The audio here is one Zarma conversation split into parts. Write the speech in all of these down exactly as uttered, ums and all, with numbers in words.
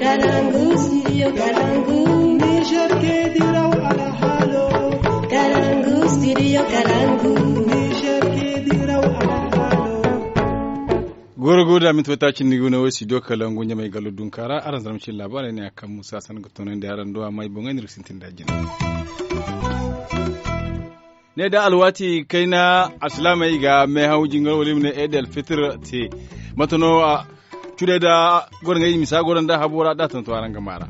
Kalangu, studio Kalangu. Niger ke diraw alhalo. Kalangu, studio Kalangu. Niger ke diraw alhalo. Goro goro da minti wata cindi guna wo studio Kalangu ɲamay gallo dunkara aran zarma cin labarai ne a kan musa san ga tonandi aran do amma i boŋay nirga sintin da jina. Ne da alwaati kayna alsilaamey ga meehaw jingar wala i ma ne eedel fitir te. Mate no a cure da goro ŋey misa goro nda habo ra da tanto araŋ ga maara.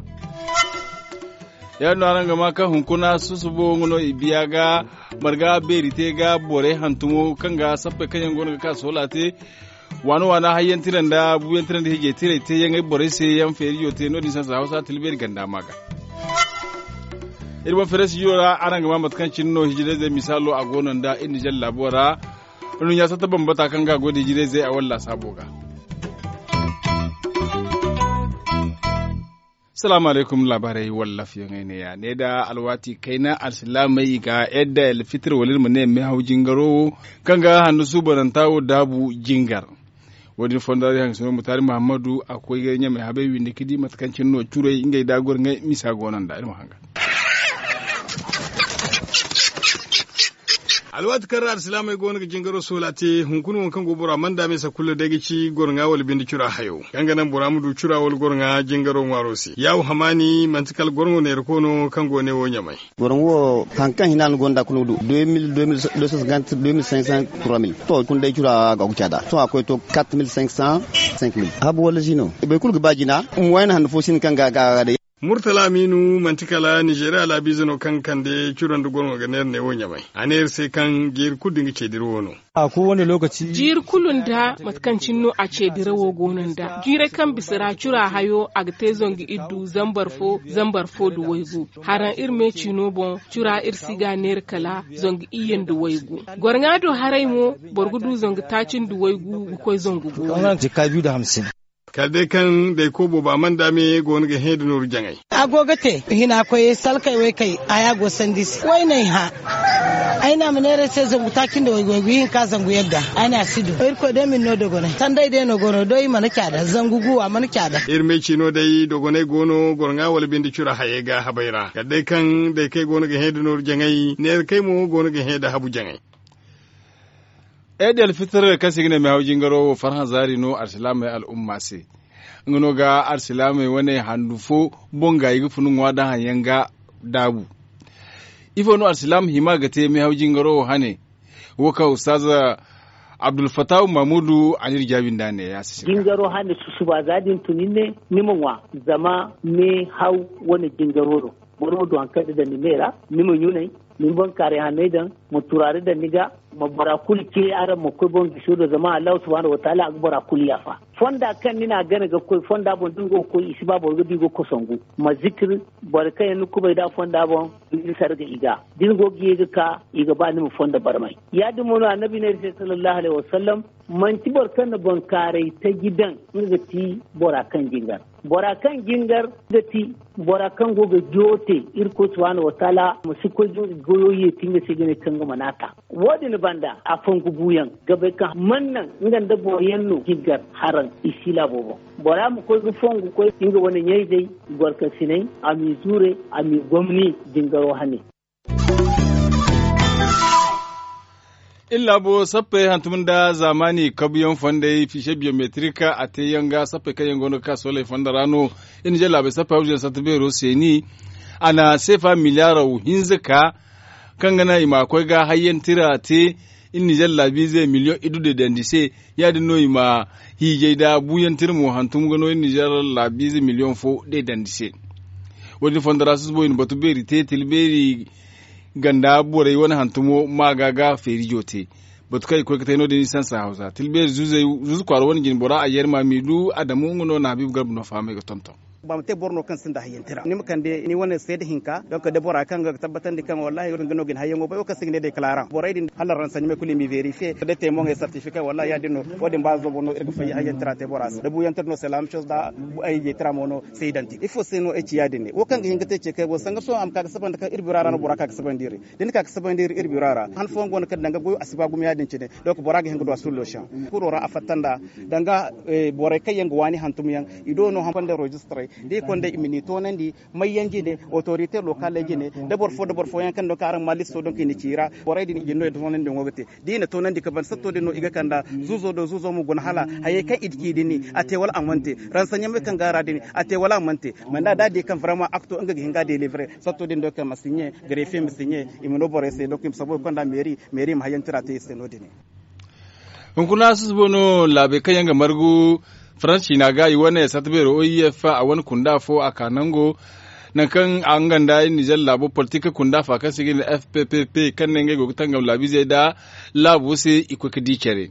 Ya no araŋ ga ma kaŋ hunkuna susubo nga no i biya ga marga beeri te ga borey hantumo kaŋ ga sappey kaŋ yaŋ go no ga ka soola te. Waano waano hayyaŋ tira nda buuyaŋ tira nda hijey tirey te yaŋ ay borey se yaŋ feerijo te no- din sansa hawsa tilbeeri ganda ma ga. Iri boŋ feere studio ra araŋ ga ma mate kaŋ cine no hijirayzey misaalo a go no nda iri nijar laabo ra. Iri no ɲaasata bambata kaŋ ga a goy da hijirayzey a walla laasaabo ga. Salaamu alaykum laabaarey wallaf yaŋey ne ya ne da alwaati kayna alsilaamey i ga edda alfitir wala iri ma ne meehaw jingaro wo kaŋ ga handu suubananta wo daabu jingar. Wo- din fondo ra iri hangasino mutaari muhammadu a koy ga ɲamay habay windi ka di mate kaŋ cine no curey ngey da goro ŋey misa go no nda iri ma hanga. Alwaati kaŋ ra alsilaamey go no ga jingaro soola te hunkuna waŋ kaŋ go bora manda me sakulla day ga ci goro ŋa wala binde cura hayo kaŋ ga naŋ bora ma du cura wala goro ŋa jingaro ŋwaaro se yaawo hamaani manti kala goro ŋo neera koono kaŋ go ne wo ɲamay. Goro ŋo wo haŋ kaŋ hina no gonda kulu du deux mille deux mille deux cent cinquante trois mille to kulu day cura ga ga caada sohõ a koy to quatre mille cinq cent cinq mille habu wala si no boro kulu ga ba jina. Moyen handu fo si no kaŋ ga ga day. Murtala amiinu manti kala nizeeriya laabiize no kaŋ kande curo nda goro ŋo ga neera ne wo ɲamay a ne iri se kaŋ jiiri kulu da nga ceediri wo no. A kowane lokaci jiiri kulu nda mate kaŋ cine no a ceedira wo go no nda jiirey kaŋ bisa ra cura hayo a ga te zangu iddu zambar fo zambar fo nda waygu. Haraŋ iri me ciino boŋ cura iri si ga a neera kala zangu iyye nda waygu. Goro ŋa do haray mo boro ga du zangu taaci nda waygu ga koy zangu go no. Kala day kaŋ dayko boobo a mana daame go no ga hẽ nda nooru jaŋay. A go ga te hina koyey salkey wo ay kay haya go sanda i se wayney hã. Ay ne a ma neera ay se zangu taaci nda waygu waygu ihinka zangu yagga. A ne a si du irkoy day ma ni no dogonay sanday day no go no do i mana caada zangu guwa mana caada. Iri may ciino day dogonay go no goro ŋa wala binde cura hayey ga habay ra kala day kaŋ daykey go no ga hẽ nda nooru jaŋay neera kay mo go no ga hẽ nda habu jaŋay. Eedel fitir kaŋ se i ga ne meehaw jingaro wo farhã zaari no alsilaamey al'umma se. Nga no ga alsilaamey wane handu fo boŋ ga i ga fun ŋwa da haŋ yaŋ ga daabu. Ifo no alsilaam hima ga te meehaw jingaro wo hane? Wo kaŋ ustaaz abdulfattahu mahmudu a n'iri jaabi nd'a ne ya si. Jingaro hane susuba za din tun ni ne ni ma ŋwa. Zama meehaw wane jingaro no boro ma du haŋ kaŋ ni daŋ ni me ra ni ma ɲunay ni ma bankaaray hanney daŋ ma turaari daŋ ni ga. Ma bora kulu ce araŋ ma koy boŋ giso do zama allahu subhanahu wataala a ga bora kulu yaafa. Fonda kaŋ ni n'a gana ga koy fonda boŋ da ni go ga koy i si ba boro ga di ga kosangu ma zikir. Boro kaŋ yaŋ ni kubay nd'a fonda boŋ ni sarga i ga da ni go ga ye ga ka i ga ba ni ma fonda barmay. Ya- din mo no annabi ne iri se sallallahu alayhi wasallam manti boro kaŋ na bankaaray taji daŋ nga ga ti bora kaŋ jingar. Bora kaŋ jingar ga ti bora kaŋ go ga joote irkoy subhanahu wataala ma si koy ga nga goyo yeeti nga se ga ne kaŋ nga mana ta. Wo- din banda a fongu buuyaŋ ga bay kaŋ man naŋ nga nda boro yaŋ no jingar haraŋ i si laabo boŋ. Bora ma koy ga fongu koy nga wane ɲayzey gorkasiney a m'i zuure a m'i gomni jingaro hane. Iri laabo sappey hantum nda zaamaani kabuyaŋ fondey fiise biyometrik a te yaŋ ga sappey kaŋ yaŋ go no ga ka sooley fonda ra no. Iri nizeer laabey sappey hawru jeŋ sarta beero seeni a na seefa miliyaaraw hinza ka kaŋ ga naŋ i ma koy ga hayyaŋ tira te. Iri nizeer laabiize miliyoŋ iddu deedandi se. Ya- din no i ma hiijay nda buuyaŋ tira mo hantum ga no iri nizeer laabiize miliyoŋ fo deedandi se. Wo- din fonda ra susubo i na batu beeri te tila beeri ganda borey wane hantumo ma ga ga feerijo te. Batu kaŋ i koy ga te no- din i sansa hawsa tila beeri zuuzu kwaara wane jine bora a yeeri ma m'i du adamu nga no na habiibu garba no fahamay ga tonton. Ba ma te boro no kaŋ sinda hayyaŋ tira ni ma kande ni wane seeda hinka donk da bora kaŋ ga tabbatandi kaŋ wallahi wo- din ga no ga ni hayyaŋo bay wo kaŋ se ga ne day kala araŋ borey din hala araŋ sanni me kulu i m'i verifiye da te mo ngey sartifika wallahi ya- din no. Wo- din ba zobo no iri ga fayya hayyaŋ tira te bora se da buuyaŋ tira no se laamcos da ay je tira mo no se idanti ifo se no ay ci ya- din ne wo kaŋ ga hin ga te ce kay wo sanga sohõ a ma ka ga sabandi kaŋ iri bira ra no bora ka ga sabandi iri da ni ka ga sabandi iri iri bira ra han fooyaŋ go no kaŋ danga goyo a si ba gumo ya- din cine. Donc bora ga hin ga du a solution kuro ra a fatta nda danga borey kaŋ yaŋ ga waani hantum yaŋ i do no han fonda registrey Da i konda i ma ni toonandi, mayyaŋ jine, otorite lokaley jine, da boro fo da boro fooyaŋ kaŋ no kaŋ araŋ ma listo donk i na ci i ra. Borey din i jine no i toonandiyaŋo ga te. Da i na toonandi ka ban satto din no i ga kanda zuuzo do zuuzo ma guna hala hayey kaŋ i ci din a te wala a mana te. Ransa ɲamey kaŋ go a ra din a te wala a mana te. Manda da a di kaŋ vraiment akto nga ga hin ga a delivre satto din do kaŋ ma siɲe, garefe ma siɲe, i ma no borey se donk i ma sabo i konda meeri meeri ma hayyantira te i se no- din. Hunkuna susubo no laabey kaŋ yaŋ ga margu faransi ciina ga i wane sata beero oif a wane kunda fo a ka nango nangu kaŋ a nga nda nizer laabo politik kunda fa kaŋ se ga ne fpp kaŋ ne ngey go ga tangam laabiizey nda laabo se i koy ga di care.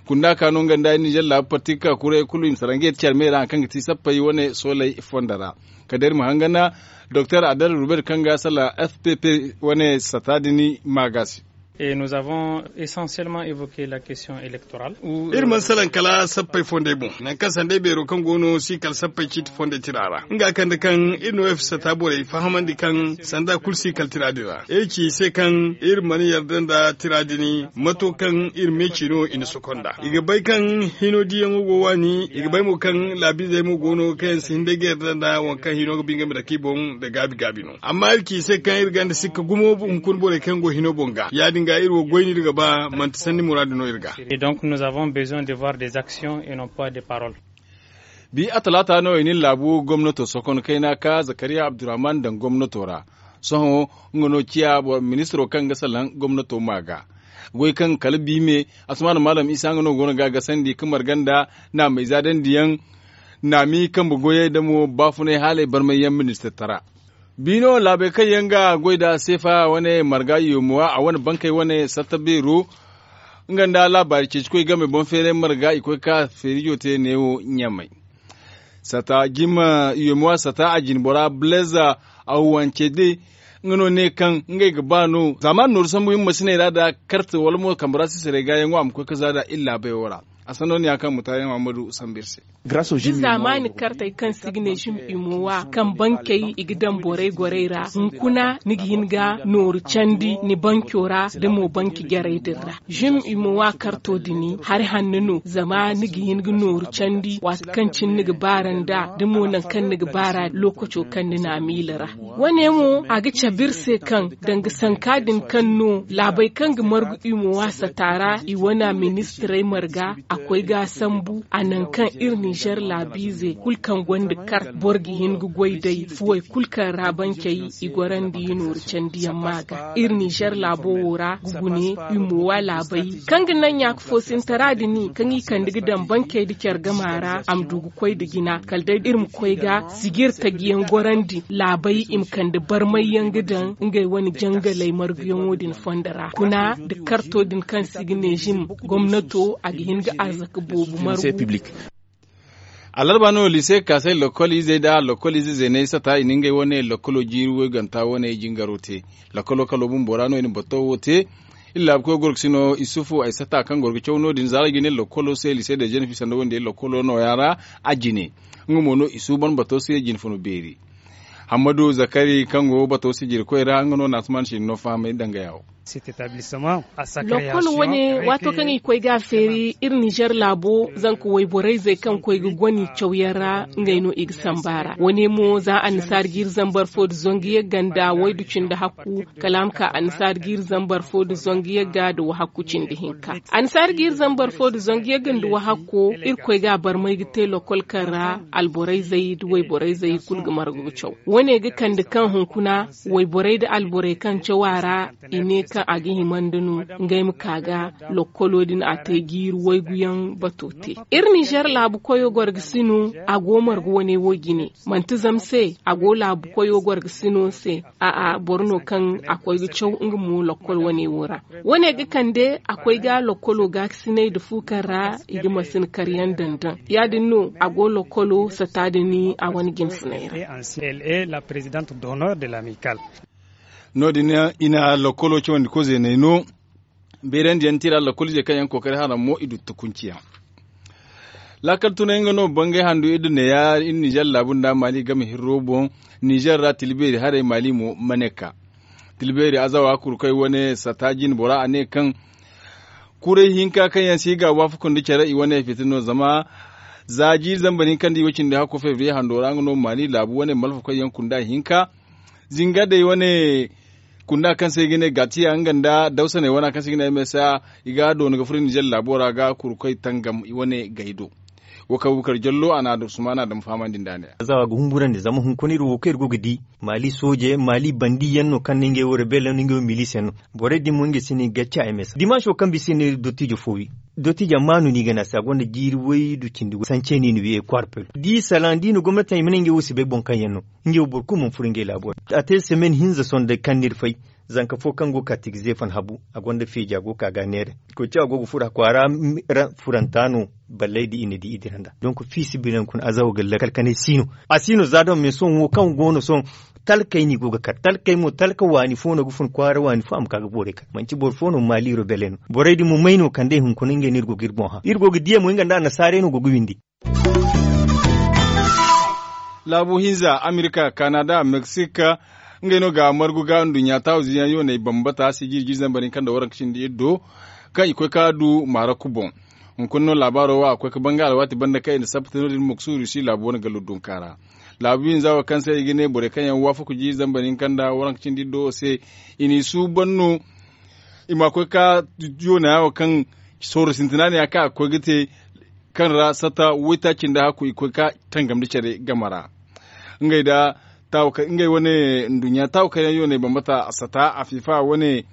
Kunda ka no nga nda nizer laabo politik kuray kulu i ma sara ngey care me ra hari kaŋ ga ti sappey wane sooley fondo ra. Kala day iri ma hangana doktor adal ruber kaŋ ga sala fpp wane sata din ma ga se. Et nous avons essentiellement évoqué la question électorale. Iri mana salaŋ kala sappey fondey boŋ nangu kaŋ sanday beero kaŋ go no si kala sappey ciiti fondey tira ra nga kande kaŋ iri no efisata borey fahamandi kaŋ sanda kulu si kala tira din ra iri ci i se kaŋ iri mana yarda nda tira din mato kaŋ iri me ci no i na sokonda i ga bay kaŋ hino diyaŋo go waani i ga bay mo kaŋ laabiizey mo go no kaŋ yaŋ si hin day ga yarda nda waŋ kaŋ hino ga bi nga ma dake i boŋ nda gaabi gaabi no. Amma iri ci i se kaŋ iri gonda sikka gumo hunkuna borey kaŋ go hino boŋ ga ya- din ga iri wo goy no iri ga ba manti sanni muraadu no iri ga. Et donc nous avons besoin de voir des actions et non pas des paroles. Bi a talaata no i na iri laabu gomnato sokon kayna ka zakariya abdurrahman daŋ gomnato ra. Sohõ nga no ciya ministiro kaŋ ga salaŋ gomnato ma ga goy kaŋ kala bi me. Asumana maalam isa nga no go no ga gasandi ka marga nda naamey zaadandiyaŋ naami kambe goyey nda mo baafunay haaley barmayyaŋ ministirtara. Bi no laabey kaŋ yaŋ ga goy nda seefa wane marga yomowa a wane bankey wane satta beero nga nda laabaari ceeci koy game boŋ feeray marga i koy ga feerijo te neewo ɲamey. Sata jima yomowa sata a jinbora blaise a wance de nga no ne kaŋ ngey ga ba no zama nooru sambu himma sinay ra nda karte wala mo kambe ra sisaray gaayaŋo a ma koy ga za nda iri laabayo ra. A sanno ne ya kaŋ mutaayaŋ muhammadu sambu iri se. Zaamaani kartey kaŋ se i ga ne zim imo wa kaŋ bankey i ga daŋ borey gorey ra hunkuna ni ga hin ga nooru candi ni banco ra da mo banki jarey din ra. Zim imo wa karto din hari hanno no zama ni ga hin ga nooru candi waati kaŋ cine ni ga baara nda da mo nangu kaŋ ni ga baara lookaco kaŋ ni na a miila ra. Wane mo a ga cabe iri se kaŋ danga sanka din kaŋ no laabey kaŋ ga margu imo wa sata ra i wane ministirey marga a koy ga a sambu a nangu kaŋ iri ninzeer laabiize kulu kaŋ gonda kar boro ga hin ga goy day fuwey kulu kaŋ ra bancey i gorandi nooru candiyaŋ ma ga iri ninzeer laabo wo ra ga gune imo wa laabey kaŋ ga naŋ ɲaaka foosintara din kaŋ i kande ga daŋ bancey nda care gama ra a ma du ga koy nda jina kala day iri ma koy ga sijir tajiyaŋ gorandi laabey i ma kande barmayyaŋ ga daŋ ngey wane jangaley marguyaŋo din fondo ra kuna nda karto din kaŋ se i ga ne zim gomnato a ga hin ga arzaka boobo margu. Alarba no liise ga ka se lokkol izey nda lokkol ize zeeney sata i na ngey wane lokkolo jiiri woyganta wane jingaro te. Lokkolo kalo bumbo ra no i na bato wo te. Iri laabu koy gorgasino isufu ay sata kaŋ gorga caw no- din zaara ga ne lokkolo se liise de jeune fi sanda wande lokkolo nooya ra a jine. Nga mo no i suuban bato se jine funa beeri. Hammadu zakari kaŋ go bato se jirikoy ra nga no na asuman se no fahamay danga yawo. Lokkol wane waato kaŋ i koy ga a feeri iri nizer laabo zanka wayborayzey kaŋ koy ga goni cawyaŋ ra ngey no i ga samba ra wane mo za annasaara ga iri zambar fo nda zangu yagga nda waydu cindi hakku kala a ma ka annasaara ga iri zambar fo nda zangu yagga nda wahakku cindi hinka. Annasaara ga iri zambar fo nda zangu yagga nda wahakko iri koy ga a barmay ga te lokkol kaŋ ra alborayzey nda wayborayzey kulu ga margu ga caw. Wane ga kande kaŋ hunkuna wayborey nda alborey kaŋ caw a ra i ne kaŋ a ga hima nda no ngey ma ka ga lokkolo din a te jiiri wayguyaŋ bato te. Iri nizer laabu koyo gorgasino a go margu wane wo jine manti zama se a go laabu koyo gorgasino se. A'a boro no kaŋ a koy ga caw nga mo lokkol wane wo ra. Wane ga kande a koy ga lokkolo gaakasinay nda fu kaŋ ra i ga masina karyaŋ dandaŋ ya- din no a go lokkolo sata din a wane jinsinay ra. No- din i na lokkolo cawandi ko zeeney no. Beerandiyaŋ tira lakkoliizey kaŋ yaŋ kookari haraŋ mo i du tukunciyaŋ. Laakal tunay nga no bangay handu iri du neeya iri nizer laabu nda maali game hirro boŋ. Nizer ra tilbeeri haray maali mo maneka tilbeeri azawa kurkay wane sata jine bora a ne kaŋ kuray hinka kaŋ yaŋ se i ga a waafaku nda care i wane fitina no zama Za jiiri zambar hinka nda i way cindi hakko febriye hando ra nga no maali laabu wane malfa koy yaŋ kunda hinka. Zinga day wane kunda kaŋ se i ga ne gatiya nga nda dawsaney wana kaŋ se i ga ne msa, i ga doona ga furo ninzeer laabo ra ga kuru koy tangam i wane gay do. Wo kaŋ bukar jallo a na a da usman a dama fahamandi nda a ne. Za a ga humburandi zama hunkuna iri wo kaŋ iri go ga di maali sooje maali bandi yaŋ no kaŋ no ngey wo rebel yaŋ no ngey wo milis yaŋ no. Borey din mo ngey si ne gacca msa dimanso kaŋ bisa i ne iri dottijo fo wi. Dottijo amma no no i ga ne a se a gonda jiiri waydu cindi sanceeni no wi e kwaara pelu da i salaŋ da i na gomnati i ma ne ngey wo si bay boŋ kaŋ yaŋ no. Ngey wo boro kulu mana furo ngey laabo ra a te semen hinza sohõ day kaŋ no iri fay. Zanka fo kaŋ go ga ka tigize fan habu a gonda feeji a go ga ka ga a neera. Koy ci a go ga furo a kwaara furanta no. Balley da i na di i dira nd'a donk fiisi bine hunkuna azawa ga lakkal kanay si no. A si no za doŋ me sohõ wo kaŋ go no sohõ. Talkey no i go ga kar talkey mo talka waani fo no ga fun kwaara waani fo a ma ka ga borey kar manti boro fo no maali rebele no. Borey din mo may no kande hunkuna ngey no iri go ga iri boŋ hã iri go ga diya mo nga nda annasaarey no go ga windi. Laabu hinza amerika kanada meksik ngey no ga margu ga nduɲɲa taawu ziyaŋ yooney bambata sijiri jiiri zambar hinka nda waranka cindi iddo kaŋ i koy ka du marakku boŋ. Hunkuna no laabaaro wo a koy ka bangay alwaati banda kaŋ i na sabbata no- din moksu rusi laabu wane gallo dunka ra. Laabu hinza wo kaŋ se i ga ne borey kaŋ yaŋ waafaku jiiri zambar hinka nda waranka cindi iddo wo se i n'i suuban no. I ma koy ka yoonaya wo kaŋ sooro sintina ne ya kaŋ a ga koy ga te kaŋ ra sata waytaaci nda hakku i koy ka tangam nda care game ra. Ngey da ngey wane nduɲɲa taawu kaŋ yaŋ yooney bambata sata a fiifa wane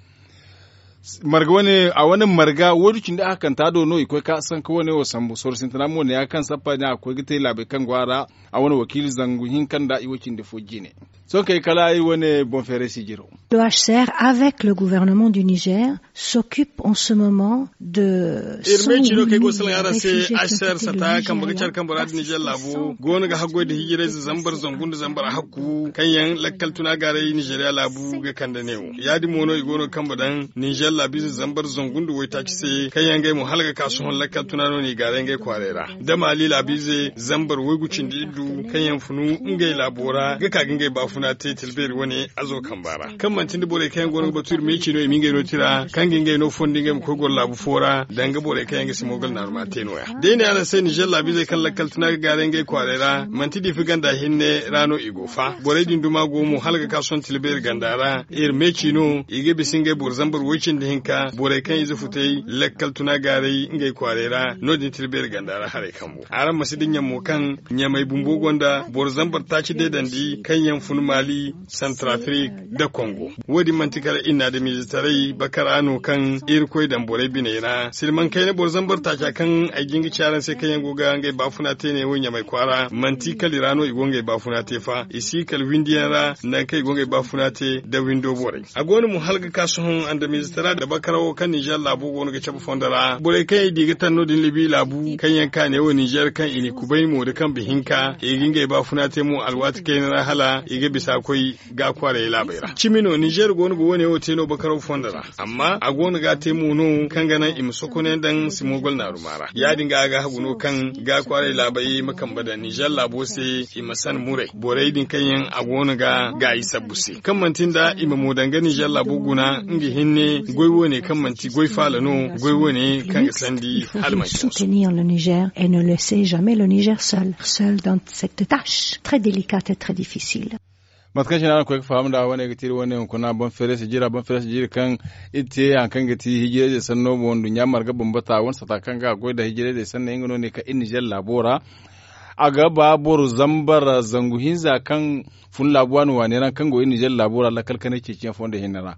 marga wane a wane marga waydu cindi hakanta do no i koy ka sanka wane wo sambu sooro sintina mo ne ya kaŋ sappa ne a ga koy ga te laabey kaŋ go a ra. A wane wakiili zangu hinka nda i wo cindi fo jine. Sohõ kay kala iri wane boŋ feeray sijiro. L'ohcr avec le gouvernement du niger s'occupe en ce moment de iri me cino kay go salaŋ araŋ se. Hcr sata kambe ga care kambe ra da nizer laabu go no ga haggoy nda hijirayze zambar zangu nda zambar hakku kaŋ yaŋ lakkal tuna gaaray nizeriya laabu ga kande neewo ya- din mo no i go no ga kambe daŋ nizer laabiize zambar zangu nda waytaaci se kaŋ yaŋ ngey mo hala ga ka sohõ lakkal tuna no n'i gaaray ngey kwaaray ra da maali laabiize zambar waygu cindi iddu kaŋ yaŋ funu ngey laabo ra ga ka ga ngey baafuna te tilbeeri wane azo kamba ra kaŋ manti nda borey kaŋ yaŋ go no ga batu iri meeci no i ma ngey no tira kaŋ ga ngey no fondi ngey ma koy goro laabu fo ra danga borey kaŋ yaŋ ga simogal naaruma te no- ya day ne araŋ se nizer laabiizey kaŋ lakkal tuna ga gaaray ngey kwaaray ra manti diifi ganda hinne ra no i go fa borey din duma go mo hala ga ka sohõ tilbeeri ganda ra iri meeci no i ga bisa ngey boro zambar woy cindi hinka borey kaŋ ize futay lakkal tuna gaaray ngey kwaaray ra no- din tilbeeri ganda ra haray kambo araŋ ma si dinya mo kaŋ ɲamay bumbo gonda boro zambar taaci deedandi kaŋ yaŋ fun maali santarafrik nda kongo wo- din manti kala i na adamiizetaray bakara no kaŋ irkoy daŋ borey biney ra silmaŋ kayna boro zambar taaca kaŋ ay ga hin ga ci araŋ se kaŋ yaŋ go ga ngey baafuna te neewo ɲamay kwaara manti kala i ra no i go ngey baafuna te fa i si kala windi yaŋ ra nangu kaŋ i go ngey baafuna te nda windo borey a go no mo hala ga ka sohõ andamiizetaray nda bakara wo kaŋ nizer laabo go no ga cabe fondo ra borey kaŋ i di ga taŋ no- din libi laabu kaŋ yaŋ ka neewo nizer kaŋ i n'i kubay mo nda kambe hinka i ga ngey baafuna te mo alwaati kayna ra hala i ga bisa koy ga kwaaray laabey ra cimi no nizer go no ga wo- ne wo te no bakaraw fondo ra amma a go no ga a te mo no kaŋ ga naŋ i ma sokonay daŋ simogol naaruma ra ya- din ga a ga hagu no kaŋ ga kwaaray laabey ma kambe daŋ nizer laabo se i ma san muray borey din kaŋ yaŋ a go no ga ga i sabbu se kaŋ manti nda i ma mo daŋ ga nizer laabo guna nga hinne goy wo- ne kaŋ manti goy faala no goy wo- ne kaŋ ga sandi hala manti soutenir le nizer et ne laisser jamais le nizer seul seul dans cette tâche très délicate et très difficile. Mate kaŋ se no araŋ koy ga faham nda wane ga ti iri wane hunkuna boŋ feere sijira boŋ feere sijira kaŋ iri te hari kaŋ ga ti hijirayzey sanno boŋ nduɲɲa marga bambata wane sata kaŋ ga a goy nda hijirayzey sanno nga no ne ka iri nizer laabo ra. A ga ba boro zambar zangu hinza kaŋ fun laabu waani waani ra kaŋ go iri nizer laabo ra lakkal kanay ceeciyaŋ fondo hinne ra.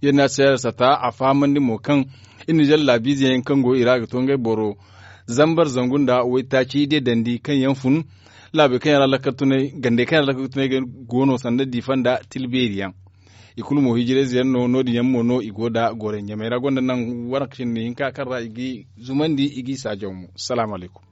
Iri na se sata a fahamandi mo kaŋ iri nizer laabiize yaŋ kaŋ go i ra ga to ngey boro zambar zangu nda waytaaci deedandi kaŋ yaŋ fun laabey kaŋ yaŋ ra lakkal tunay gandey kaŋ yaŋ ra lakkal tunay go no sanda diifa nda tilbeeri yaŋ. I kulu mo hijirayze yaŋ no no- din yaŋ mo no i go nda gorey ɲamey ra gonda naŋ waranka cindi hinka kaŋ ra i ga i zumandi i ga i saajaw mo. Salaamu alaykum.